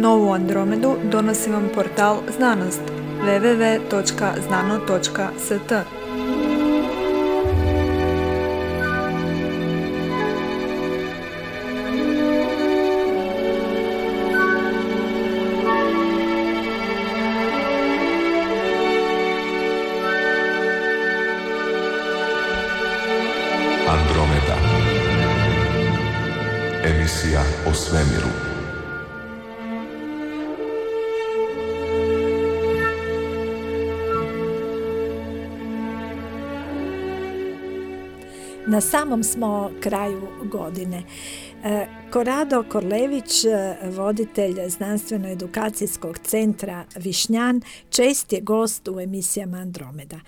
Novu Andromedu donosi vam portal Znanost www.znano.st. Andromeda. Emisija o svemiru. Na samom smo kraju godine. Korado Korlević, voditelj Znanstveno-edukacijskog centra Višnjan, čest je gost u emisijama Andromeda.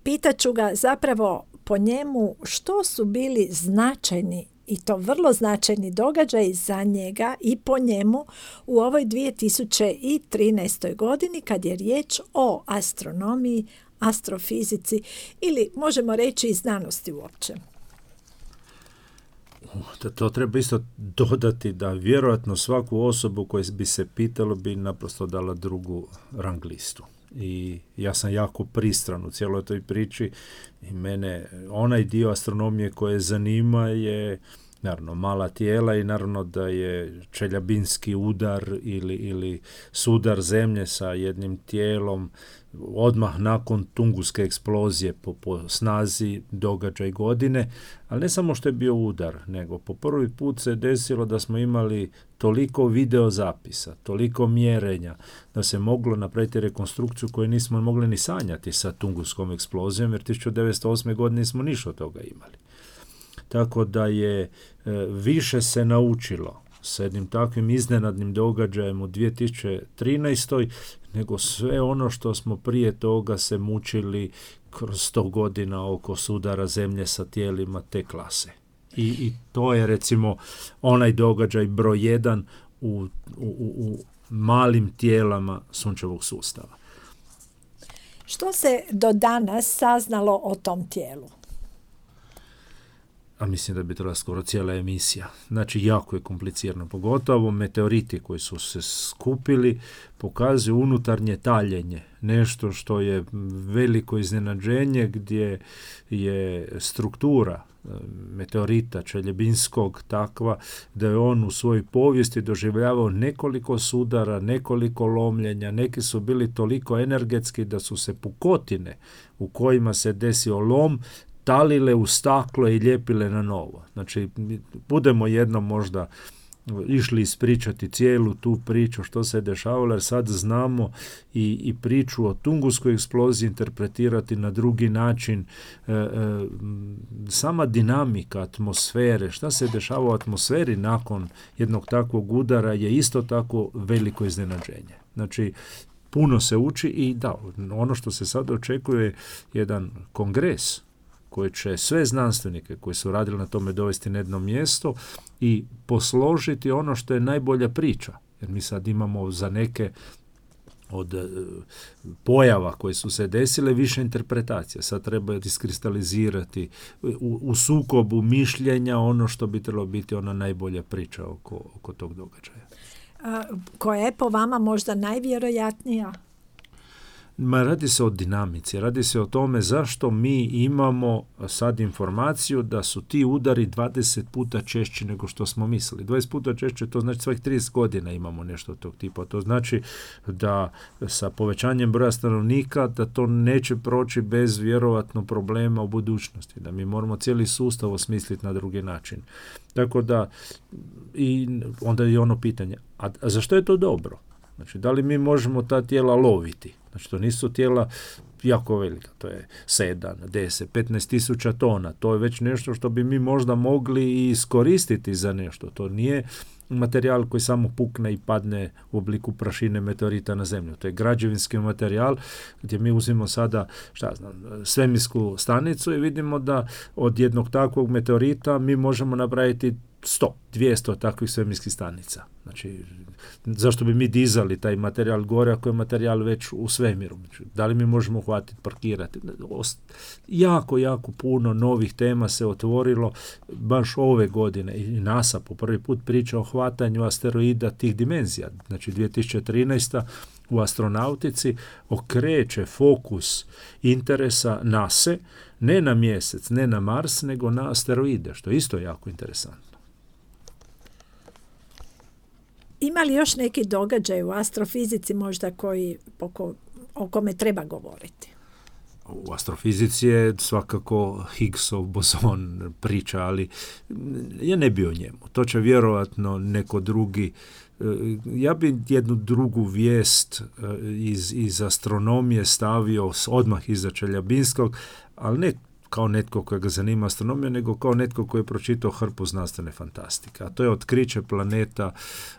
Pitaću ga zapravo po njemu što su bili značajni i to vrlo značajni događaji za njega i po njemu u ovoj 2013. godini kad je riječ o astronomiji, astrofizici ili možemo reći i znanosti uopće. To treba isto dodati da vjerojatno svaku osobu koju bi se pitalo bi naprosto dala drugu rang listu. I ja sam jako pristran u cijeloj toj priči i mene onaj dio astronomije koje zanima je naravno mala tijela i naravno da je čeljabinski udar ili sudar zemlje sa jednim tijelom odmah nakon Tunguske eksplozije po snazi događaj godine, ali ne samo što je bio udar, nego po prvi put se desilo da smo imali toliko videozapisa, toliko mjerenja, da se moglo napraviti rekonstrukciju koju nismo mogli ni sanjati sa Tunguskom eksplozijom, jer 1908. godine nismo ništa od toga imali. Tako da je više se naučilo s jednim takvim iznenadnim događajem u 2013. nego sve ono što smo prije toga se mučili kroz 100 godina oko sudara zemlje sa tijelima te klase. I to je recimo onaj događaj broj 1 u malim tijelama sunčevog sustava. Što se do danas saznalo o tom tijelu? A mislim da bi trebala skoro cijela emisija. Znači, jako je komplicirano. Pogotovo meteoriti koji su se skupili pokazuju unutarnje taljenje. Nešto što je veliko iznenađenje gdje je struktura meteorita čeljebinskog takva da je on u svojoj povijesti doživljavao nekoliko sudara, nekoliko lomljenja. Neki su bili toliko energetski da su se pukotine u kojima se desio lom talile u staklo i lijepile na novo. Znači, budemo jednom možda išli ispričati cijelu tu priču što se je dešavalo, jer sad znamo i priču o Tunguskoj eksploziji interpretirati na drugi način. Sama dinamika atmosfere, šta se dešava u atmosferi nakon jednog takvog udara je isto tako veliko iznenađenje. Znači, puno se uči i da, ono što se sad očekuje je jedan kongres koji će sve znanstvenike koji su radili na tome dovesti na jedno mjesto i posložiti ono što je najbolja priča. Jer mi sad imamo za neke od pojava koje su se desile više interpretacija. Sad treba iskristalizirati u sukobu mišljenja ono što bi trebalo biti ona najbolja priča oko tog događaja. Koja je po vama možda najvjerojatnija? Radi se o dinamici, radi se o tome zašto mi imamo sad informaciju da su ti udari 20 puta češći nego što smo mislili. 20 puta češće, to znači svakih 30 godina imamo nešto tog tipa. To znači da sa povećanjem broja stanovnika da to neće proći bez vjerovatno problema u budućnosti, da mi moramo cijeli sustav osmisliti na drugi način. Tako da, i onda je ono pitanje, a zašto je to dobro? Znači, da li mi možemo ta tijela loviti? Znači, to nisu tijela jako velika, to je 7, 10, 15 tisuća tona. To je već nešto što bi mi možda mogli i iskoristiti za nešto. To nije materijal koji samo pukne i padne u obliku prašine meteorita na zemlju. To je građevinski materijal gdje mi uzimamo sada, svemirsku stanicu i vidimo da od jednog takvog meteorita mi možemo napraviti 200 takvih svemirskih stanica. Znači, zašto bi mi dizali taj materijal gore ako je materijal već u svemiru? Znači, da li mi možemo hvatiti, parkirati? Jako, jako puno novih tema se otvorilo baš ove godine i NASA po prvi put priča o hvatanju asteroida tih dimenzija. Znači, 2013. u astronautici okreće fokus interesa NASA ne na mjesec, ne na Mars, nego na asteroide, što je isto jako interesantno. Ima li još neki događaj u astrofizici možda o kome treba govoriti? U astrofizici je svakako Higgsov bozon priča, ali ja ne bi o njemu. To će vjerojatno neko drugi. Ja bi jednu drugu vijest iz astronomije stavio odmah iza Čeljabinskog, ali ne kao netko kojega zanima astronomija, nego kao netko koji je pročitao hrpu znanstvene fantastike. A to je otkriće planeta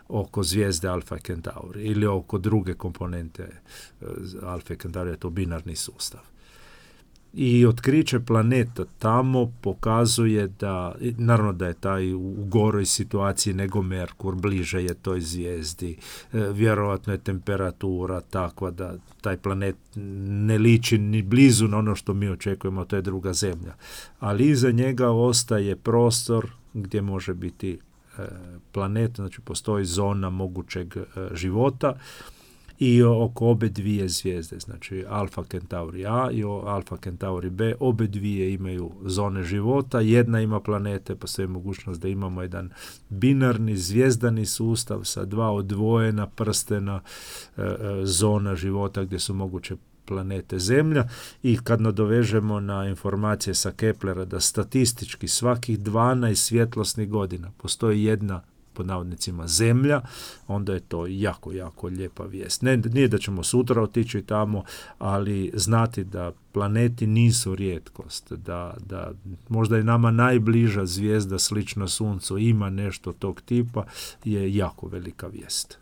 oko zvijezde Alfa Centauri ili oko druge komponente Alfa Centauri, je to binarni sustav. I otkriće planeta tamo pokazuje da, naravno da je taj u goroj situaciji nego Merkur, bliže je toj zvijezdi, vjerojatno je temperatura takva da taj planet ne liči ni blizu na ono što mi očekujemo, to je druga zemlja. Ali iza njega ostaje prostor gdje može biti planet, znači postoji zona mogućeg života, i oko obe dvije zvijezde, znači Alfa Centauri A i Alfa Centauri B, obe dvije imaju zone života, jedna ima planete, postoji mogućnost da imamo jedan binarni zvijezdani sustav sa dva odvojena prstena zona života gdje su moguće planete Zemlja, i kad nadovežemo na informacije sa Keplera da statistički svakih 12 svjetlosnih godina postoji jedna, pod navodnicima, Zemlja, onda je to jako, jako lijepa vijest. Nije da ćemo sutra otići tamo, ali znati da planeti nisu rijetkost, da možda je nama najbliža zvijezda slična Suncu ima nešto tog tipa, je jako velika vijest.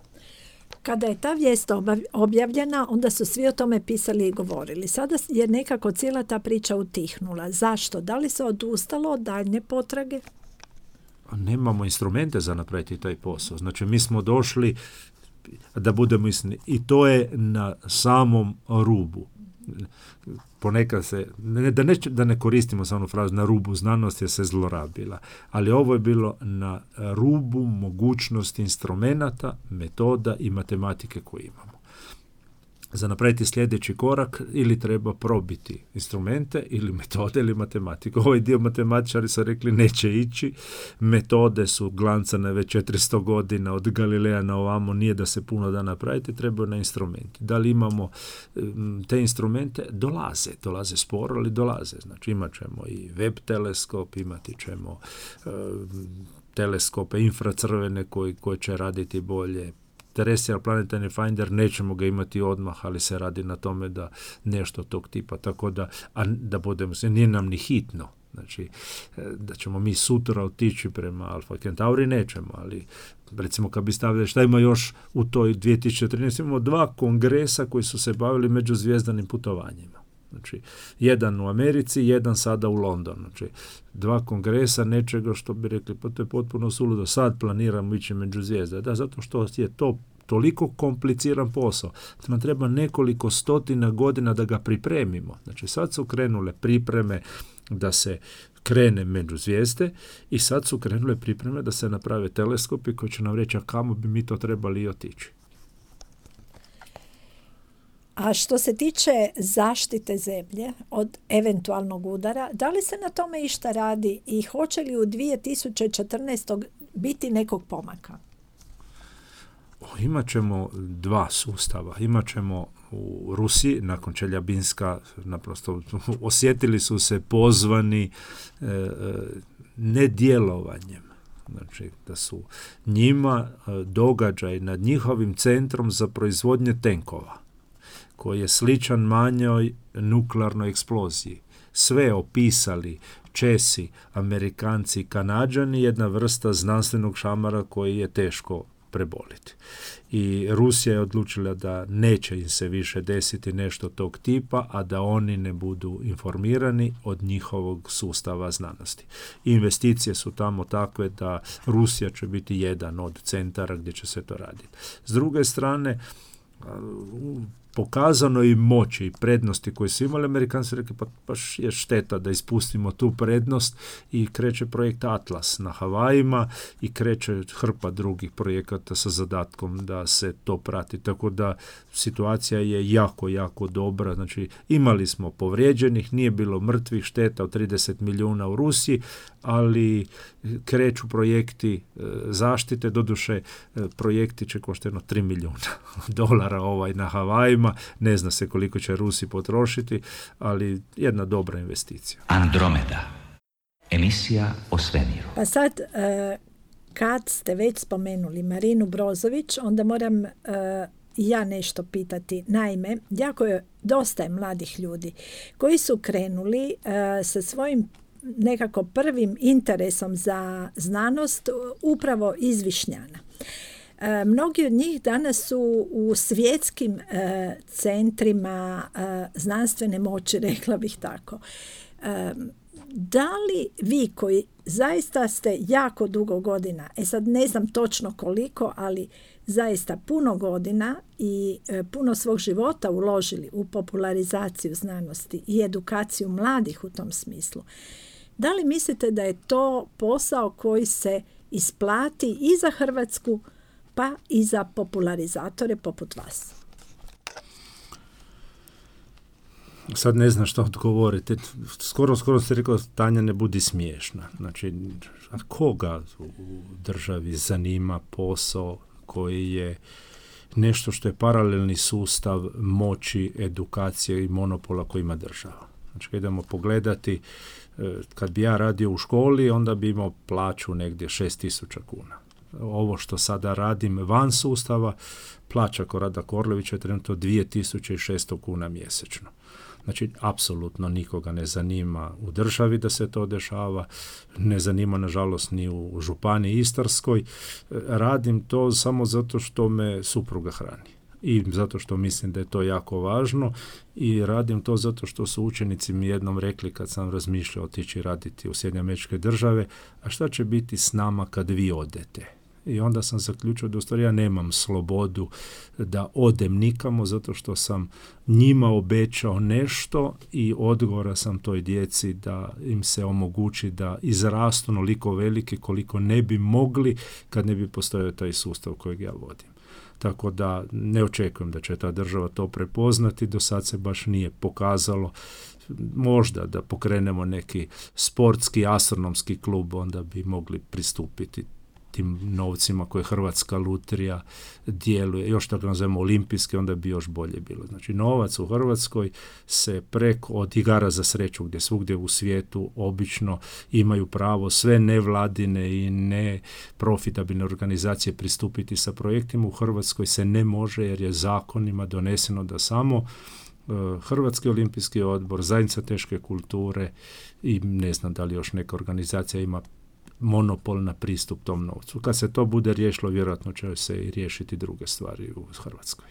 Kada je ta vijest objavljena, onda su svi o tome pisali i govorili. Sada je nekako cijela ta priča utihnula. Zašto? Da li se odustalo od daljnje potrage? Nemamo instrumente za napraviti taj posao. Znači, mi smo došli, da budemo iskreni, i to je na samom rubu. Ponekad se, da ne koristimo samo frazu na rubu znanosti, jer se zlorabila, ali ovo je bilo na rubu mogućnosti instrumenata, metoda i matematike koje imamo. Za napraviti sljedeći korak ili treba probiti instrumente ili metode ili matematiku. Ovaj dio matematičari su rekli neće ići, metode su glancane već 400 godina od Galileja na ovamo, nije da se puno da napraviti, trebaju na instrumenti. Da li imamo te instrumente? Dolaze sporo, ali dolaze. Znači imat ćemo i web teleskop, imati ćemo teleskope infracrvene koji će raditi bolje. Terrestrial Planetary Finder nećemo ga imati odmah, ali se radi na tome da nešto tog tipa, tako da budemo se, nije nam ni hitno. Znači, da ćemo mi sutra otići prema Alfa Centauri, nećemo, ali recimo kad bi stavili šta ima još u toj 2013, imamo 2 kongresa koji su se bavili međuzvijezdanim putovanjima. Znači, jedan u Americi, jedan sada u Londonu. Znači, 2 kongresa nečega što bi rekli, pa to je potpuno suludo, sad planiramo ići među zvijezde. Da, zato što je to toliko kompliciran posao. Nam treba nekoliko stotina godina da ga pripremimo. Znači, sad su krenule pripreme da se krene među zvijezde i sad su krenule pripreme da se naprave teleskopi koji će nam reći, a kamo bi mi to trebali otići. A što se tiče zaštite zemlje od eventualnog udara, da li se na tome išta radi i hoće li u 2014. biti nekog pomaka? Imaćemo 2 sustava. Imaćemo u Rusiji, nakon Čeljabinska, naprosto osjetili su se pozvani nedjelovanjem. Znači, da su njima događaj nad njihovim centrom za proizvodnje tenkova, koji je sličan manjoj nuklearnoj eksploziji. Sve opisali Česi, Amerikanci, Kanađani, jedna vrsta znanstvenog šamara koji je teško preboliti. I Rusija je odlučila da neće im se više desiti nešto tog tipa, a da oni ne budu informirani od njihovog sustava znanosti. Investicije su tamo takve da Rusija će biti jedan od centara gdje će se to raditi. S druge strane, pokazano i moći i prednosti koje su imali, Amerikanci rekli pa baš je šteta da ispustimo tu prednost i kreće projekt Atlas na Havajima i kreće hrpa drugih projekata sa zadatkom da se to prati. Tako da situacija je jako, jako dobra. Znači imali smo povrijeđenih, nije bilo mrtvih, šteta od 30 milijuna u Rusiji, ali kreću projekti zaštite, doduše projekti će koštati $3 milijuna na Havajima, ne zna se koliko će Rusi potrošiti, ali jedna dobra investicija. Andromeda, emisija o svemiru. Pa sad, kad ste već spomenuli Marinu Brozović, onda moram ja nešto pitati. Naime, jako je dosta je mladih ljudi koji su krenuli sa svojim nekako prvim interesom za znanost upravo iz Višnjana. Mnogi od njih danas su u svjetskim centrima znanstvene moći, rekla bih tako. Da li vi koji zaista ste jako dugo godina, sad ne znam točno koliko, ali zaista puno godina i puno svog života uložili u popularizaciju znanosti i edukaciju mladih u tom smislu, da li mislite da je to posao koji se isplati i za Hrvatsku, pa i za popularizatore poput vas? Sad ne znam što odgovoriti. Skoro ste rekao, Tanja, ne budi smiješna. Znači, a koga u državi zanima posao koji je nešto što je paralelni sustav moći, edukacije i monopola koji ima država? Znači, idemo pogledati, kad bi ja radio u školi, onda bi imao plaću negdje 6.000 kuna. Ovo što sada radim van sustava, plaća Korada Korlevića je trenutno 2.600 kuna mjesečno. Znači, apsolutno nikoga ne zanima u državi da se to dešava, ne zanima nažalost ni u županiji Istarskoj. Radim to samo zato što me supruga hrani i zato što mislim da je to jako važno i radim to zato što su učenici mi jednom rekli kad sam razmišljao otići raditi u Sjedinjene Američke Države, a šta će biti s nama kad vi odete? I onda sam zaključio da u stvari ja nemam slobodu da odem nikamo zato što sam njima obećao nešto i odgovora sam toj djeci da im se omogući da izrastu onoliko veliki koliko ne bi mogli kad ne bi postojao taj sustav kojeg ja vodim. Tako da ne očekujem da će ta država to prepoznati, do sad se baš nije pokazalo. Možda da pokrenemo neki sportski, astronomski klub, onda bi mogli pristupiti tim novcima koje Hrvatska lutrija djeluje. Još tako nazovemo olimpijske, onda bi još bolje bilo. Znači, novac u Hrvatskoj se preko od igara za sreću, gdje svugdje u svijetu obično imaju pravo sve nevladine i neprofitabilne organizacije pristupiti sa projektima. U Hrvatskoj se ne može jer je zakonima doneseno da samo Hrvatski olimpijski odbor, zajednica teške kulture i ne znam da li još neka organizacija ima monopol na pristup tom novcu. Kad se to bude riješilo, vjerojatno će se i riješiti druge stvari u Hrvatskoj.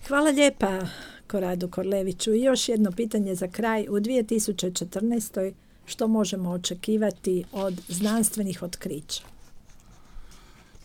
Hvala lijepa Koradu Korleviću. I još jedno pitanje za kraj. U 2014. što možemo očekivati od znanstvenih otkrića?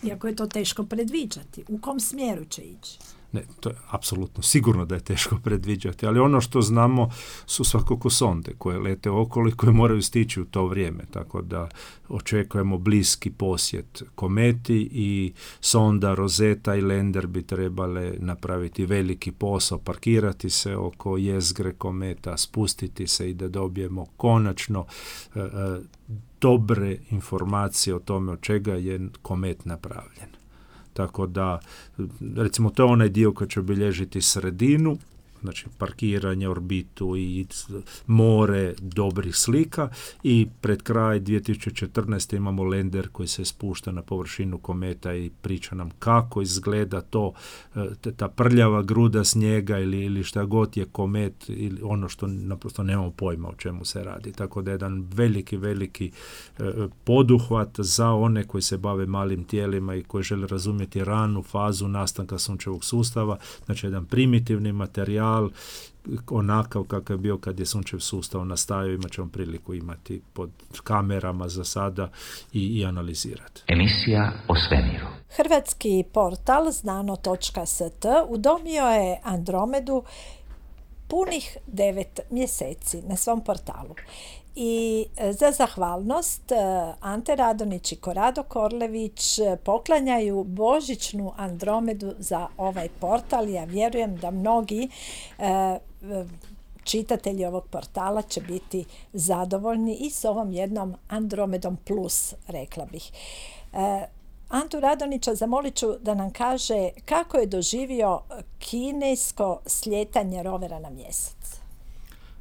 Iako je to teško predviđati. U kom smjeru će ići? Ne, to je apsolutno sigurno da je teško predviđati, ali ono što znamo su svakako sonde koje lete okolo i koje moraju stići u to vrijeme, tako da očekujemo bliski posjet kometi i sonda Rosetta i Lander bi trebale napraviti veliki posao, parkirati se oko jezgre kometa, spustiti se i da dobijemo konačno dobre informacije o tome od čega je komet napravljen. Tako da, recimo, to je onaj dio koji će obilježiti sredinu znači parkiranje, orbitu i more dobrih slika, i pred kraj 2014. imamo lander koji se spušta na površinu kometa i priča nam kako izgleda to, ta prljava gruda snijega ili šta god je komet, ili ono što naprosto nemamo pojma o čemu se radi. Tako da je jedan veliki poduhvat za one koji se bave malim tijelima i koji žele razumjeti ranu fazu nastanka sunčevog sustava. Znači jedan primitivni materijal, onakav kakav je bio kad je sunčev sustav nastajao, imat ćemo priliku imati pod kamerama za sada i analizirati. Emisija o svemiru. Hrvatski portal znano.st udomio je Andromedu punih 9 mjeseci na svom portalu. I za zahvalnost Ante Radonić i Korado Korlević poklanjaju božićnu Andromedu za ovaj portal. Ja vjerujem da mnogi čitatelji ovog portala će biti zadovoljni i s ovom jednom Andromedom plus, rekla bih. Antu Radonića zamolit ću da nam kaže kako je doživio kinesko slijetanje rovera na mjesec.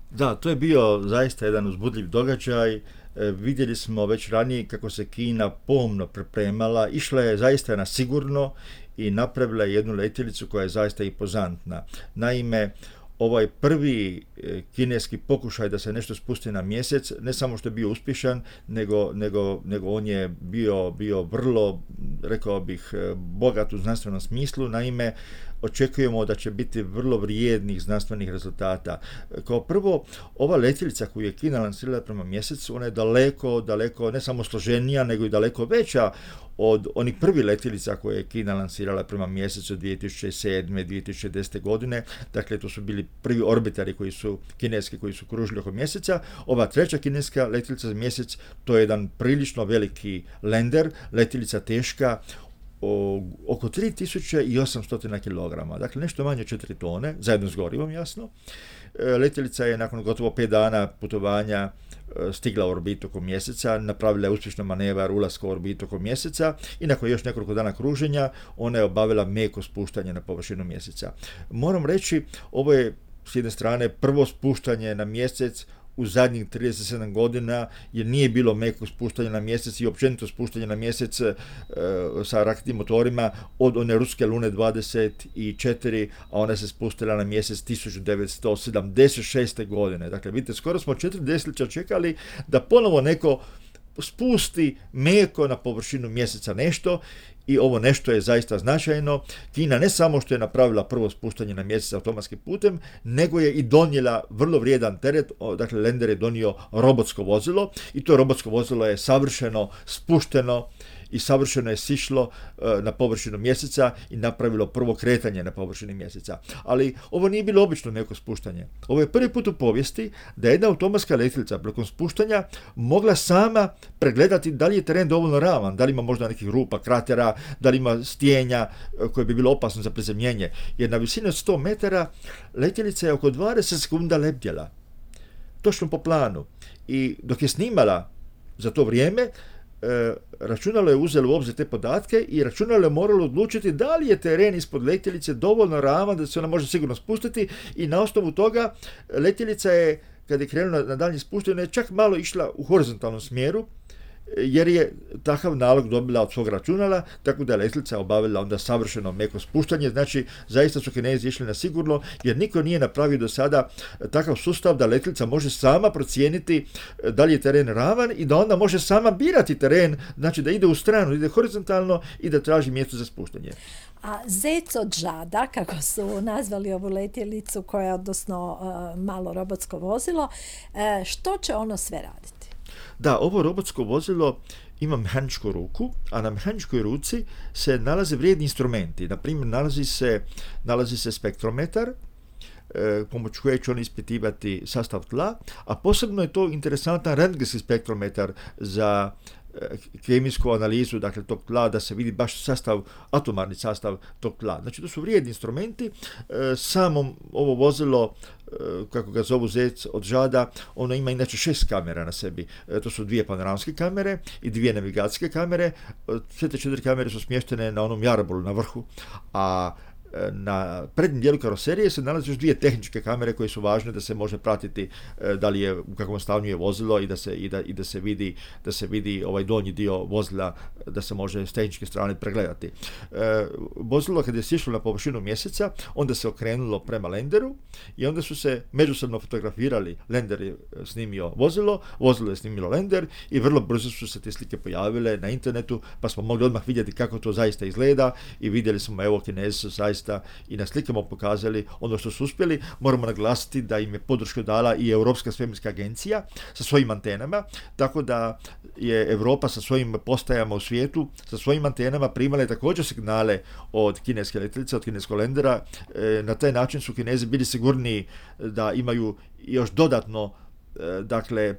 Da, to je bio zaista jedan uzbudljiv događaj. Vidjeli smo već ranije kako se Kina pomno pripremala, išla je zaista na sigurno i napravila jednu letjelicu koja je zaista impozantna. Naime, ovaj prvi kineski pokušaj da se nešto spusti na mjesec, ne samo što je bio uspješan, nego on je bio vrlo, rekao bih, bogat u znanstvenom smislu. Naime, očekujemo da će biti vrlo vrijednih znanstvenih rezultata. Kao prvo, ova letjelica koju je Kina lansirala prema mjesecu, ona je daleko, ne samo složenija, nego i daleko veća od onih prvih letjelica koje je Kina lansirala prema mjesecu 2007. 2010. godine. Dakle, to su bili prvi orbitari kineski koji su kružili oko mjeseca. Ova treća kineska letjelica za mjesec, to je jedan prilično veliki lander, letjelica teška oko 3800 kg, dakle nešto manje 4 tone, zajedno s gorivom, jasno. Letjelica je nakon gotovo 5 dana putovanja stigla u orbitu oko mjeseca, napravila je uspješno manevar ulaska u orbitu oko mjeseca i nakon još nekoliko dana kruženja ona je obavila meko spuštanje na površinu mjeseca. Moram reći, ovo je s jedne strane prvo spuštanje na mjesec u zadnjih 37 godina, jer nije bilo mekog spuštanja na mjesec i općenito spuštanja na mjesec sa raketnim motorima od one ruske Lune 24, a ona se spustila na mjesec 1976. godine. Dakle, vidite, skoro smo 4 desetljeća čekali da ponovo neko spusti meko na površinu mjeseca nešto, i ovo nešto je zaista značajno. Kina ne samo što je napravila prvo spuštanje na mjesec automatskim putem, nego je i donijela vrlo vrijedan teret. Dakle, lander je donio robotsko vozilo i to robotsko vozilo je savršeno spušteno i savršeno je sišlo na površinu mjeseca i napravilo prvo kretanje na površini mjeseca. Ali ovo nije bilo obično neko spuštanje. Ovo je prvi put u povijesti da jedna automatska letjelica prilikom spuštanja mogla sama pregledati da li je teren dovoljno ravan, da li ima možda nekih rupa, kratera, da li ima stijenja koje bi bilo opasno za prizemljenje. Jer na visini od 100 metara letjelica je oko 20 sekunda lebdjela. Točno po planu. I dok je snimala za to vrijeme, računalo je uzelo u obzir te podatke i računalo je moralo odlučiti da li je teren ispod letjelice dovoljno ravan da se ona može sigurno spustiti, i na osnovu toga letjelica je, kad je krenula na daljnje spuštanje, čak malo išla u horizontalnom smjeru, jer je takav nalog dobila od svog računala, tako da je letjelica obavila onda savršeno meko spuštanje. Znači, zaista su Kinezi išli na sigurno, jer niko nije napravio do sada takav sustav da letjelica može sama procijeniti da li je teren ravan i da onda može sama birati teren, znači da ide u stranu, ide horizontalno i da traži mjesto za spuštanje. A zec od žada, kako su nazvali ovu letjelicu, koja je odnosno malo robotsko vozilo, što će ono sve raditi? Da, ovo robotsko vozilo ima mehaničku ruku, a na mehaničkoj ruci se nalaze vrijedni instrumenti. Na primjer, nalazi se spektrometar, pomoću koje će on ispitivati sastav tla, a posebno je to interesantan rentgenski spektrometar za kemijsku analizu, dakle, tog tla, da se vidi baš atomarni sastav tog tla. Znači, to su vrijedni instrumenti. Samo ovo vozilo, kako ga zovu zec od žada, ono ima inače 6 kamera na sebi. To su 2 panoramske kamere i 2 navigacijske kamere. Sve te 4 kamere su smještene na onom jarabolu na vrhu, a Na prednjem dijelu karoserije se nalaze još dvije tehničke kamere koje su važne da se može pratiti da li je, u kakvom stanju je vozilo i da se vidi ovaj donji dio vozila, da se može s tehničke strane pregledati. Vozilo kad je sišlo na površinu mjeseca, onda se okrenulo prema lenderu i onda su se međusobno fotografirali. Lender je snimio vozilo je snimilo lender i vrlo brzo su se te slike pojavile na internetu, pa smo mogli odmah vidjeti kako to zaista izgleda i vidjeli smo, evo, Kinezi su zaista i na slikama pokazali ono što su uspjeli. Moramo naglasiti da im je podršku dala i Europska svemirska agencija sa svojim antenama, tako da je Europa sa svojim postajama u svijetu, sa svojim antenama primala također signale od kineske letjelice, od kineskog lendera. Na taj način su Kinezi bili sigurniji da imaju još dodatno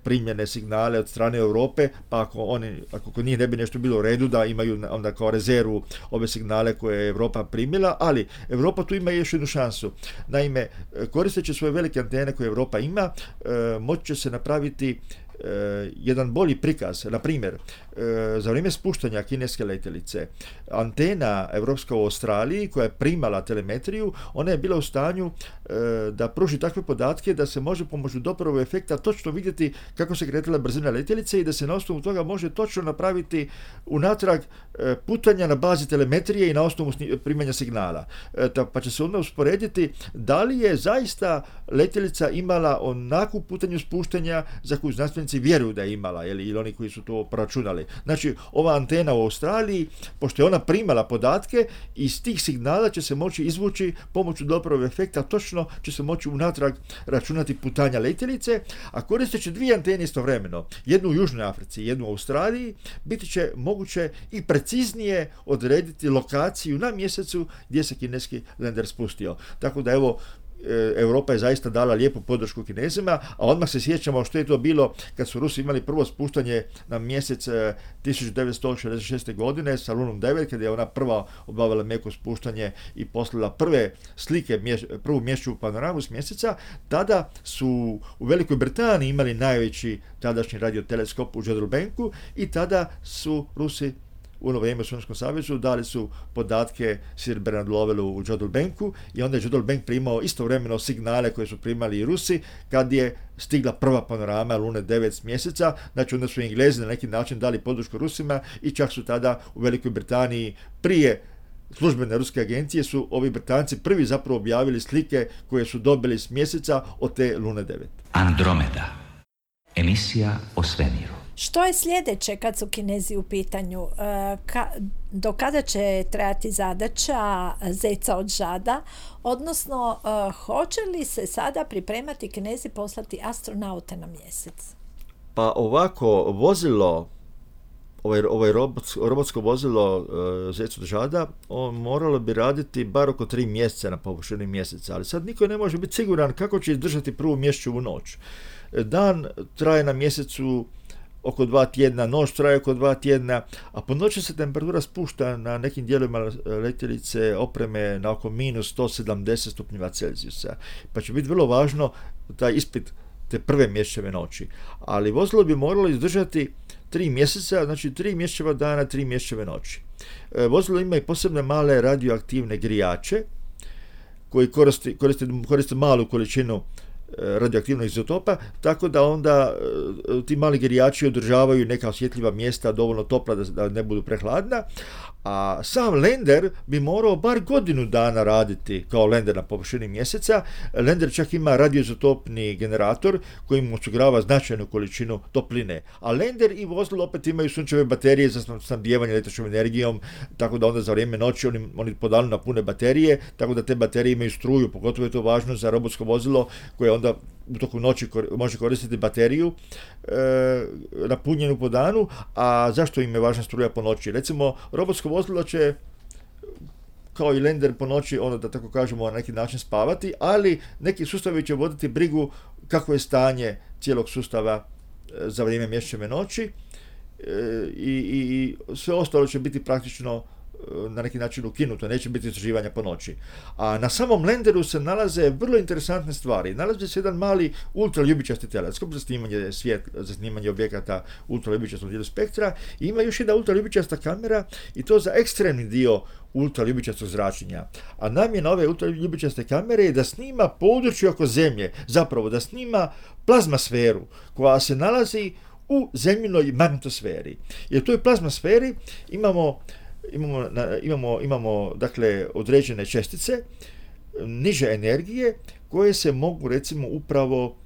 primljene signale od strane Europe, pa ako kod njih ne bi nešto bilo u redu, da imaju onda kao rezervu ove signale koje je Europa primila, ali Europa tu ima još jednu šansu. Naime, koristeći svoje velike antene koje Europa ima, moći će se napraviti jedan bolji prikaz. Na primjer, za vrijeme spuštanja kineske letjelice, antena europska u Australiji koja je primala telemetriju, ona je bila u stanju da pruži takve podatke da se može pomoću Doplerovog efekta točno vidjeti kako se kretala brzina letjelice i da se na osnovu toga može točno napraviti unatrag putanja na bazi telemetrije i na osnovu primanja signala. Pa će se onda usporediti da li je zaista letjelica imala onakvu putanju spuštanja za koju znanstvenici vjeruju da je imala, ili oni koji su to proračunali. Znači, ova antena u Australiji, pošto je ona primala podatke, iz tih signala će se moći izvući pomoću Doplerovog efekta, točno će se moći unatrag računati putanja letjelice, a koristeći dvije antene istovremeno, jednu u Južnoj Africi, jednu u Australiji, biti će moguće i preciznije odrediti lokaciju na mjesecu gdje se kineski lender spustio. Tako da, evo, Europa je zaista dala lijepu podršku Kinezima, a odmah se sjećamo što je to bilo kad su Rusi imali prvo spuštanje na mjesec 1966. godine sa Lunom 9, kada je ona prva obavila meko spuštanje i poslala prve slike, prvu mjesečevu panoramu s mjeseca. Tada su u Velikoj Britaniji imali najveći tadašnji radioteleskop u Jodrell-Banku i tada su Rusi u ono vrijeme u Sovjetskom savezu dali su podatke Sir Bernard Lowellu u Jodrell-Banku i onda je Jodrell-Bank primao istovremeno signale koje su primali i Rusi kad je stigla prva panorama Lune 9 s mjeseca. Znači, onda su Englezi na neki način dali podršku Rusima i čak su tada u Velikoj Britaniji prije službene ruske agencije su ovi Britanci prvi zapravo objavili slike koje su dobili s mjeseca od te Lune 9. Andromeda. Emisija o svemiru. Što je sljedeće kad su Kinezi u pitanju? Do kada će trajati zadaća zeca od žada? Odnosno, hoće li se sada pripremati Kinezi poslati astronaute na mjesec? Pa ovako, vozilo, ovaj robotsko vozilo zec od žada, on moralo bi raditi bar oko 3 mjeseca na površini mjeseca, ali sad niko ne može biti siguran kako će izdržati prvu mjesečevu noć. Dan traje na mjesecu oko 2 tjedna, noć traje oko 2 tjedna, a po noći se temperatura spušta na nekim dijelovima letjelice opreme na oko minus 170 stupnjeva Celzijusa. Pa će biti vrlo važno taj ispit te prve mjesečeve noći. Ali vozilo bi moralo izdržati 3 mjeseca, znači 3 mjesečeva dana, 3 mjesečeve noći. Vozilo ima i posebne male radioaktivne grijače koji koriste malu količinu radioaktivnog izotopa, tako da onda ti mali grijači održavaju neka osjetljiva mjesta dovoljno topla da ne budu prehladna, a sam lender bi morao bar godinu dana raditi kao lender na površini mjeseca. Lender čak ima radioizotopni generator koji mu osigurava značajnu količinu topline, a lender i vozilo opet imaju sunčeve baterije za snabdijevanje električnom energijom, tako da onda za vrijeme noći oni po danu napune baterije, tako da te baterije imaju struju, pogotovo je to važno za robotsko vozilo koje onda u toku noći može koristiti bateriju napunjenu po danu. A zašto im je važna struja po noći? Recimo, robotsko vozilo će kao i lender po noći, ono da tako kažemo, na neki način spavati, ali neki sustavi će voditi brigu kako je stanje cijelog sustava za vrijeme mjesečeve noći i sve ostalo će biti praktično na neki način ukinuto, neće biti istraživanja po noći. A na samom lenderu se nalaze vrlo interesantne stvari. Nalazi se jedan mali ultraljubičasti teleskop za snimanje objekata ultraljubičastog spektra i ima još jedna ultraljubičasta kamera i to za ekstremni dio ultraljubičastog zračenja. A namjena ove ultraljubičaste kamere je da snima područje oko Zemlje, zapravo da snima plazmasferu koja se nalazi u zemljinoj magnetosferi. Jer u toj plazmasferi imamo dakle određene čestice niže energije koje se mogu recimo upravo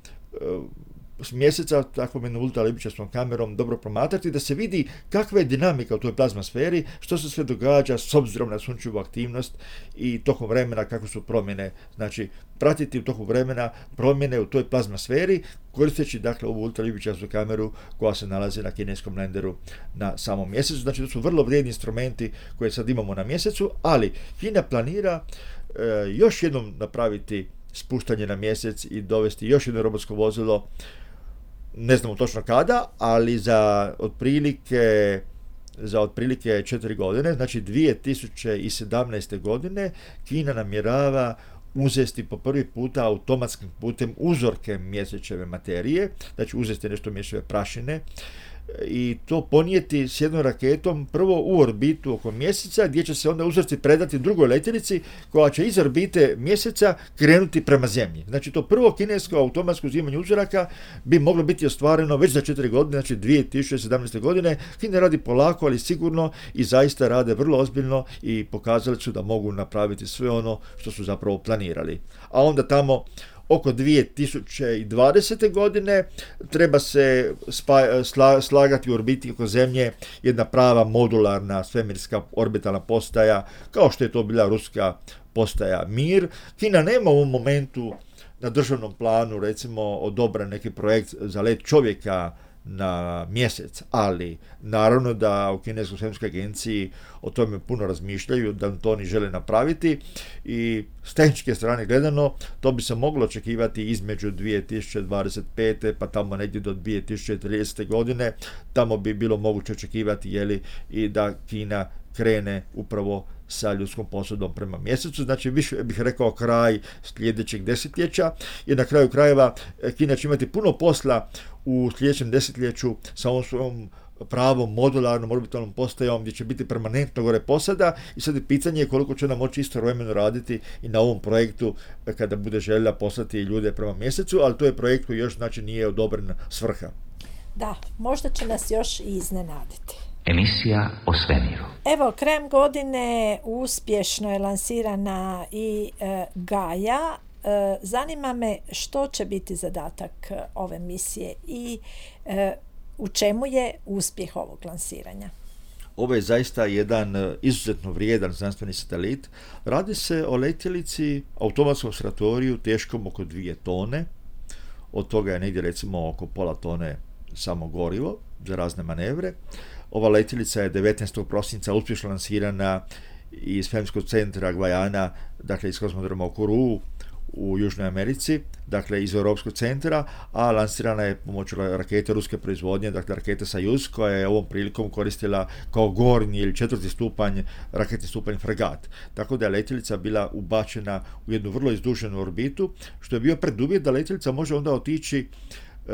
s mjeseca takvom jednom ultraljubičastom kamerom dobro promatrati, da se vidi kakva je dinamika u toj plazmasferi, što se sve događa s obzirom na sunčevu aktivnost i tokom vremena kako su promjene. Znači, pratiti u toku vremena promjene u toj plazmasferi koristeći dakle ovu ultraljubičastu kameru koja se nalazi na kineskom lenderu na samom mjesecu. Znači, to su vrlo vrijedni instrumenti koje sad imamo na mjesecu, ali Kina planira još jednom napraviti spuštanje na mjesec i dovesti još jedno robotsko vozilo, ne znamo točno kada, ali za otprilike 4 godine, znači 2017. godine, Kina namjerava uzeti po prvi puta automatskim putem uzorke mjesečeve materije, znači uzeti nešto mjesečeve prašine i to ponijeti s jednom raketom prvo u orbitu oko mjeseca, gdje će se onda uzorci predati drugoj letjelici koja će iz orbite mjeseca krenuti prema Zemlji. Znači to prvo kinesko automatsko uzimanje uzoraka bi moglo biti ostvareno već za 4 godine, znači 2017. godine. Kina radi polako, ali sigurno i zaista rade vrlo ozbiljno i pokazali su da mogu napraviti sve ono što su zapravo planirali. A onda tamo oko 2020. godine treba se slagati u orbiti oko Zemlje jedna prava modularna svemirska orbitalna postaja, kao što je to bila ruska postaja Mir. Kina nema u ovom momentu na državnom planu recimo odobren neki projekt za let čovjeka na mjesec, ali naravno da u Kineskoj svemirskoj agenciji o tome puno razmišljaju, da to oni žele napraviti i s tehničke strane gledano to bi se moglo očekivati između 2025. pa tamo negdje do 2030. godine, tamo bi bilo moguće očekivati i da Kina krene upravo sa ljudskom posudom prema mjesecu, znači više bih rekao kraj sljedećeg desetljeća, jer na kraju krajeva Kina će imati puno posla u sljedećem desetljeću sa ovom svojom pravom modularnom orbitalnom postajom gdje će biti permanentno gore posada i sad je pitanje koliko će nam moći istovremeno raditi i na ovom projektu kada bude željela poslati ljude prema mjesecu, ali to je projekt koji još znači nije odobren svrha. Da, možda će nas još i iznenaditi. Emisija o svemiru. Evo, krajem godine uspješno je lansirana i Gaia. Zanima me što će biti zadatak ove misije i u čemu je uspjeh ovog lansiranja. Ovo je zaista jedan izuzetno vrijedan znanstveni satelit. Radi se o letjelici, automatskom observatoriju teškom oko 2 tone. Od toga je negdje recimo oko pola tone samo gorivo za razne manevre. Ova letjelica je 19. prosinca uspješno lansirana iz svemirskog centra Gvajana, dakle iz kosmodroma u Kourou u Južnoj Americi, dakle iz Europskog centra, a lansirana je pomoću rakete ruske proizvodnje, dakle rakete Sajuz, koja je ovom prilikom koristila kao gornji ili 4. stupanj, raketni stupanj Fregat. Tako da je letjelica bila ubačena u jednu vrlo izduženu orbitu, što je bio preduvjet da letjelica može onda otići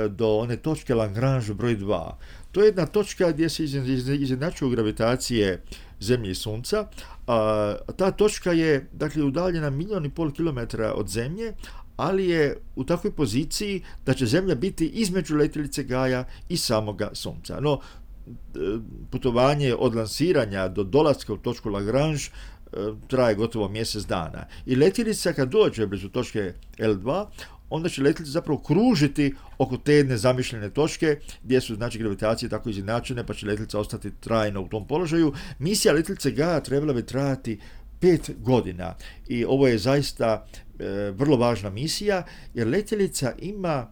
do one točke Lagrange broj 2. To je jedna točka gdje se izjednačuju gravitacije Zemlje i Sunca. Ta točka je dakle udaljena 1,5 milijuna kilometara od Zemlje, ali je u takvoj poziciji da će Zemlja biti između letjelice Gaia i samoga Sunca. No, putovanje od lansiranja do dolaska u točku Lagrange traje gotovo mjesec dana. I letjelica kad dođe blizu točke L2, onda će letjelica zapravo kružiti oko te jedne zamišljene točke gdje su znači gravitacije tako izjednačene, pa će letjelica ostati trajno u tom položaju. Misija letjelice Gaia trebala bi trajati 5 godina i ovo je zaista vrlo važna misija, jer letjelica ima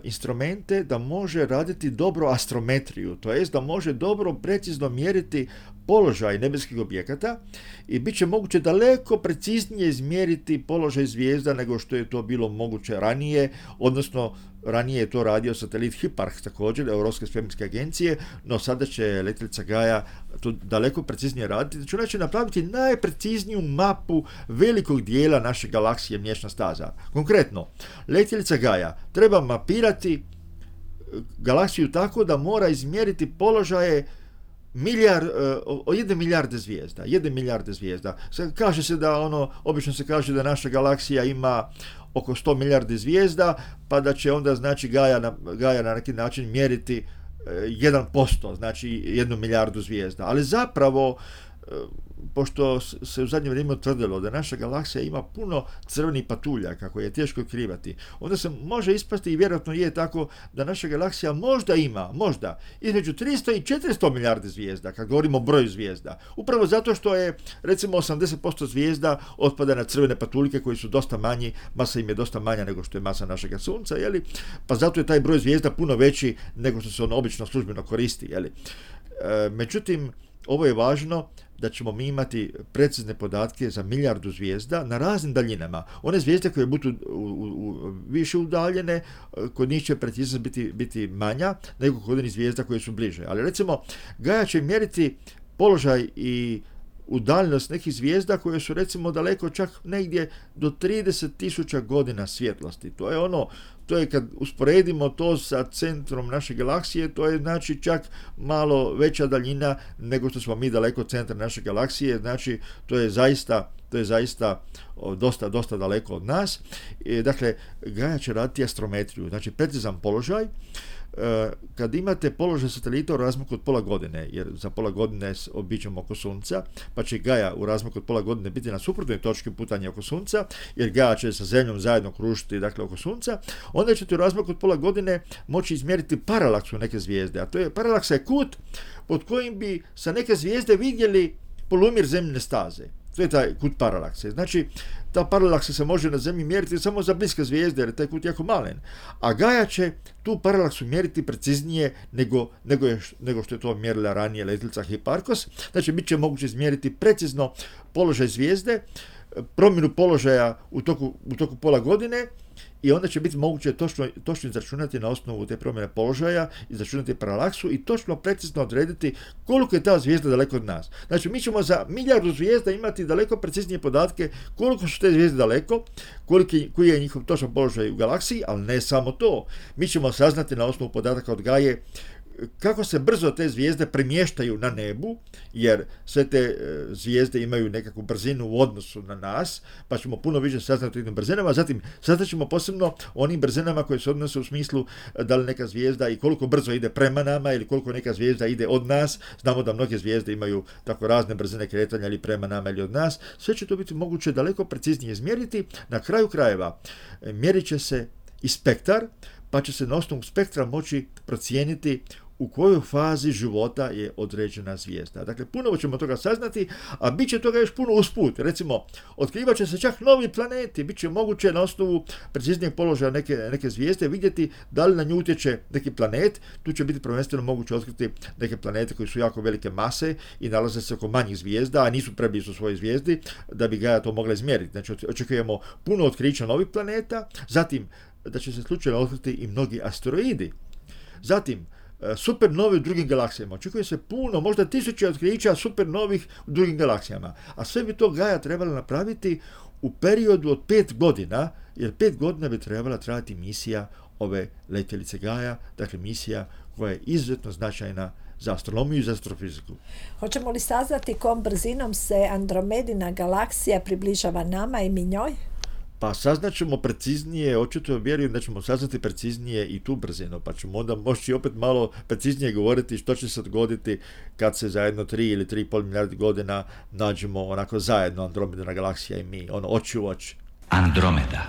instrumente da može raditi dobro astrometriju, to jest da može dobro precizno mjeriti položaj nebeskih objekata i bit će moguće daleko preciznije izmjeriti položaj zvijezda nego što je to bilo moguće ranije, odnosno ranije je to radio satelit Hiparch također, Europske svemirske agencije, no sada će letjelica Gaia to daleko preciznije raditi, znači ona će napraviti najprecizniju mapu velikog dijela naše galaksije Mliječna staza. Konkretno, letjelica Gaia treba mapirati galaksiju tako da mora izmjeriti položaje jedne milijarde zvijezda. Kaže se da obično se kaže da naša galaksija ima oko 100 milijardi zvijezda, pa da će onda znači Gaia na neki način mjeriti 1%, znači 1 milijardu zvijezda. Ali zapravo, pošto se u zadnje vrijeme utvrdilo da naša galaksija ima puno crvenih patuljaka koje je teško otkrivati, onda se može ispasti i vjerojatno je tako da naša galaksija možda ima između 300 i 400 milijardi zvijezda, kad govorimo o broju zvijezda. Upravo zato što je recimo 80% zvijezda otpada na crvene patuljke koji su dosta manji, masa im je dosta manja nego što je masa našega Sunca, pa zato je taj broj zvijezda puno veći nego što se on obično službeno koristi. Međutim, ovo je važno da ćemo mi imati precizne podatke za milijardu zvijezda na raznim daljinama. One zvijezde koje budu više udaljene, kod njih će preciznost biti manja nego kod onih zvijezda koje su bliže. Ali recimo, Gaia će mjeriti položaj i udaljenost nekih zvijezda koje su recimo daleko čak negdje do 30.000 godina svjetlosti. To je kad usporedimo to sa centrom naše galaksije, to je znači čak malo veća daljina nego što smo mi daleko od centra naše galaksije, znači to je zaista dosta daleko od nas. Dakle, Gaia će raditi astrometriju, znači precizan položaj. Kad imate položaj satelita u razmaku od pola godine, jer za pola godine obiđemo oko Sunca, pa će Gaia u razmaku od pola godine biti na suprotnoj točki putanja oko Sunca, jer Gaia će sa Zemljom zajedno kružiti oko Sunca, onda ćete u razmaku od pola godine moći izmjeriti paralaksu neke zvijezde, a to je paralaksa je kut pod kojim bi sa neke zvijezde vidjeli polumjer Zemljine staze. To je taj kut paralakse. Znači, ta paralaksa se može na Zemlji mjeriti samo za bliske zvijezde, jer je taj kut jako malen. A Gaia će tu paralaksu mjeriti preciznije nego što je to mjerila ranije letjelica Hipparcos. Znači, bit će moguće izmjeriti precizno položaj zvijezde, promjenu položaja u toku pola godine, i onda će biti moguće točno izračunati na osnovu te promjene položaja, izračunati paralaksu i točno precizno odrediti koliko je ta zvijezda daleko od nas. Znači, mi ćemo za milijardu zvijezda imati daleko preciznije podatke koliko su te zvijezde daleko, koji je njihov točan položaj u galaksiji, ali ne samo to. Mi ćemo saznati na osnovu podataka od Gaie kako se brzo te zvijezde premještaju na nebu, jer sve te zvijezde imaju nekakvu brzinu u odnosu na nas, pa ćemo puno više saznati o tim brzinama. Zatim, saznat ćemo posebno o onim brzinama koje se odnose u smislu da li neka zvijezda i koliko brzo ide prema nama ili koliko neka zvijezda ide od nas. Znamo da mnoge zvijezde imaju tako razne brzine kretanja ili prema nama ili od nas. Sve će to biti moguće daleko preciznije izmjeriti. Na kraju krajeva mjerit će se i spektar, pa će se na osnovu spektra moći procijeniti u kojoj fazi života je određena zvijezda. Dakle, puno ćemo toga saznati, a bit će toga još puno usput. Recimo, otkrivat će se čak novi planeti, bit će moguće na osnovu preciznijeg položaja neke zvijezde vidjeti da li na nju utječe neki planet. Tu će biti prvenstveno moguće otkriti neke planete koji su jako velike mase i nalaze se oko manjih zvijezda, a nisu preblizu svojoj zvijezdi, da bi Gaia to mogla izmjeriti. Znači, očekujemo puno otkrića novih planeta, zatim da će se slučajno otkriti i mnogi asteroidi. Zatim, supernovi u drugim galaksijama. Očekuje se puno, možda 1000 otkrića supernovih u drugim galaksijama. A sve bi to Gaia trebala napraviti u periodu od 5 godina, jer 5 godina bi trebala trajati misija ove letjelice Gaia, dakle misija koja je izuzetno značajna za astronomiju i za astrofiziku. Hoćemo li saznati kom brzinom se Andromedina galaksija približava nama i mi njoj? Pa saznaćemo preciznije, očito vjerujem da ćemo saznati preciznije i tu brzinu, pa ćemo onda moći opet malo preciznije govoriti što će se dogoditi kad se za 3 ili 3,5 milijardi godina nađemo onako zajedno Andromedina galaksija i mi, oči u oči. Andromeda.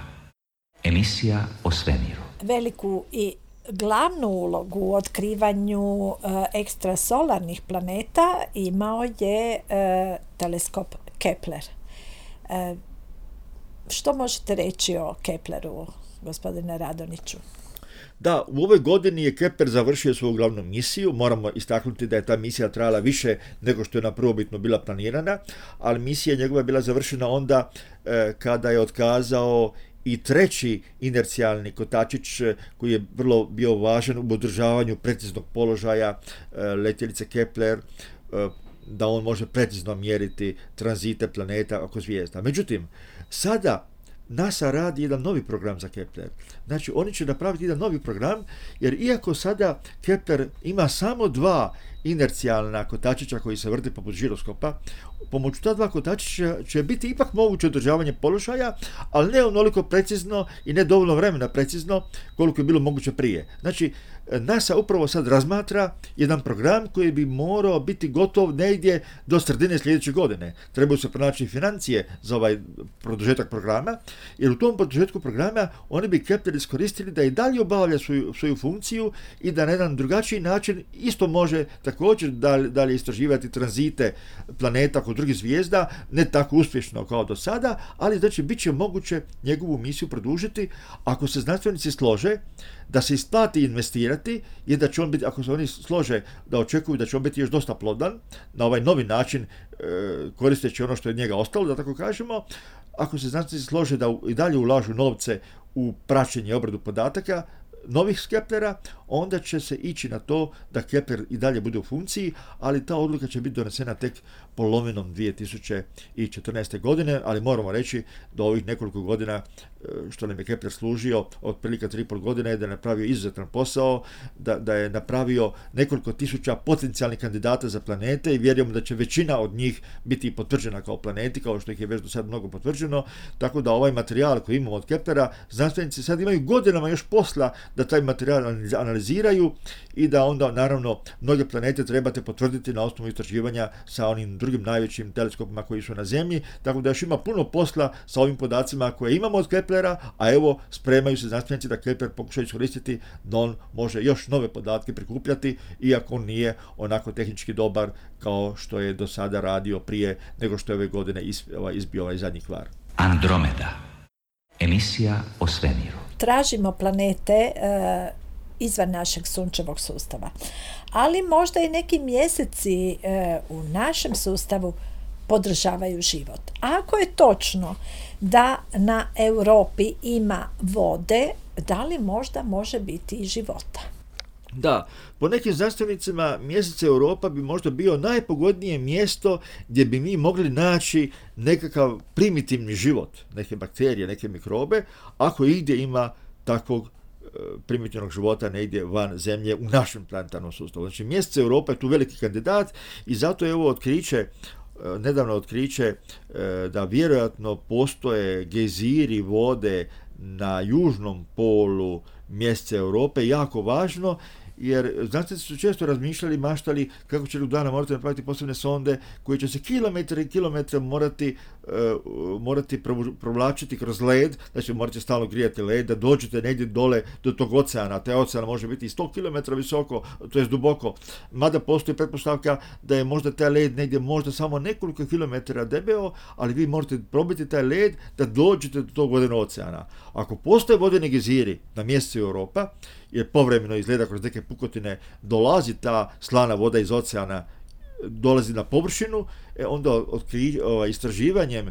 Emisija o svemiru. Veliku i glavnu ulogu u otkrivanju ekstrasolarnih planeta imao je teleskop Kepler. Što možete reći o Kepleru, gospodine Radoniću? Da, u ovoj godini je Kepler završio svoju glavnu misiju. Moramo istaknuti da je ta misija trajala više nego što je na prvobitno bila planirana, ali misija njegova je bila završena onda kada je otkazao i treći inercijalni kotačić koji je vrlo bio važan u održavanju preciznog položaja letjelice Kepler. da on može precizno mjeriti tranzite planeta oko zvijezda. Međutim, sada NASA radi jedan novi program za Kepler. Znači, oni će napraviti jedan novi program, jer iako sada Kepler ima samo 2 inercijalna kotačića koji se vrte poput žiroskopa, pomoću ta 2 kotačića će biti ipak moguće održavanje položaja, ali ne onoliko precizno i ne dovoljno vremena precizno koliko je bilo moguće prije. Znači, NASA upravo sad razmatra jedan program koji bi morao biti gotov negdje do sredine sljedeće godine. Trebaju se pronaći financije za ovaj produžetak programa, jer u tom produžetku programa oni bi Kepler iskoristili da i dalje obavlja svoju funkciju i da na jedan drugačiji način isto može također dalje istraživati tranzite planeta kod drugih zvijezda, ne tako uspješno kao do sada, ali znači bit će moguće njegovu misiju produžiti ako se znanstvenici slože da se isplati investirati i da će on biti, ako se oni slože da očekuju da će on biti još dosta plodan, na ovaj novi način koristeći ono što je od njega ostalo, da tako kažemo, ako se znanstvenici slože da i dalje ulažu novce u praćenje i obradu podataka novih Keplera, onda će se ići na to da Kepler i dalje bude u funkciji, ali ta odluka će biti donesena tek polovinom 2014. godine, ali moramo reći da ovih nekoliko godina što nam je Kepler služio, otprilike 3,5 godine, je da je napravio izuzetan posao, da je napravio nekoliko tisuća potencijalnih kandidata za planete i vjerujemo da će većina od njih biti potvrđena kao planeti, kao što ih je već do sad mnogo potvrđeno, tako da ovaj materijal koji imamo od Keplera, znanstvenici sad imaju godinama još posla da taj materijal analiziraju i da onda, naravno, mnoge planete trebate potvrditi na osnovu istraživanja sa onim drugim najvećim teleskopima koji su na Zemlji, tako da još ima puno posla sa ovim podacima koje imamo od Keplera, a evo, spremaju se znanstvenici da Kepler pokušaju iskoristiti da on može još nove podatke prikupljati, iako on nije onako tehnički dobar kao što je do sada radio prije nego što je ove godine izbio ovaj zadnji kvar. Andromeda. Emisija o svemiru. Tražimo planete izvan našeg sunčevog sustava. Ali možda i neki mjeseci u našem sustavu podržavaju život. Ako je točno da na Europi ima vode, da li možda može biti i života? Da, po nekim znanstvenicima mjesec Europa bi možda bio najpogodnije mjesto gdje bi mi mogli naći nekakav primitivni život, neke bakterije, neke mikrobe, ako igdje ima takvog primitivnog života negdje van Zemlje u našem planetarnom sustavu. Znači, mjesec Europa je tu veliki kandidat i zato je ovo nedavno otkriće da vjerojatno postoje gejziri vode na južnom polu mjeseca Europe jako važno, jer znanstvenici su često razmišljali, maštali kako će jednog dana morati napraviti posebne sonde koje će se kilometre i kilometre morati provlačiti kroz led, znači morate stalno grijati led, da dođete negdje dole do tog oceana. Taj ocean može biti 100 km visoko, to je duboko, mada postoji pretpostavka da je možda taj led negdje možda samo nekoliko kilometara debeo, ali vi morate probiti taj led da dođete do tog vodenog oceana. Ako postoje vodeni gejziri na mjesecu Europa, jer povremeno izgleda kroz neke pukotine dolazi ta slana voda iz oceana, dolazi na površinu, onda istraživanjem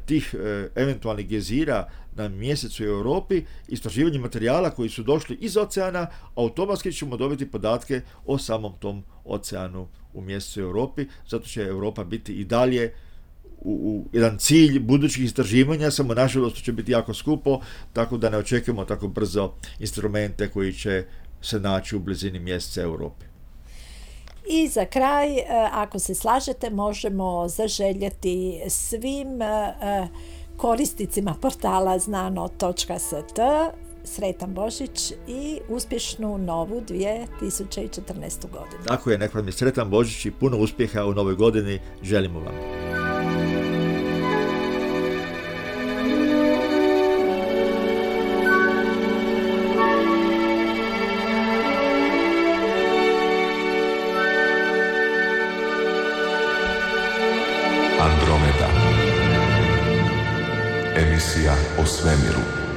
tih eventualnih gejzira na mjesecu u Europi, istraživanjem materijala koji su došli iz oceana, automatski ćemo dobiti podatke o samom tom oceanu u mjesecu Europi, zato će Europa biti i dalje u jedan cilj budućih istraživanja, samo nažalost će biti jako skupo, tako da ne očekujemo tako brzo instrumente koji će se naći u blizini mjeseca Europe. I za kraj, ako se slažete, možemo zaželjeti svim korisnicima portala znano.st sretan Božić i uspješnu novu 2014. godinu. Tako je, nek vam je sretan Božić i puno uspjeha u novoj godini, želimo vam. Andromeda. Emisija o svemiru.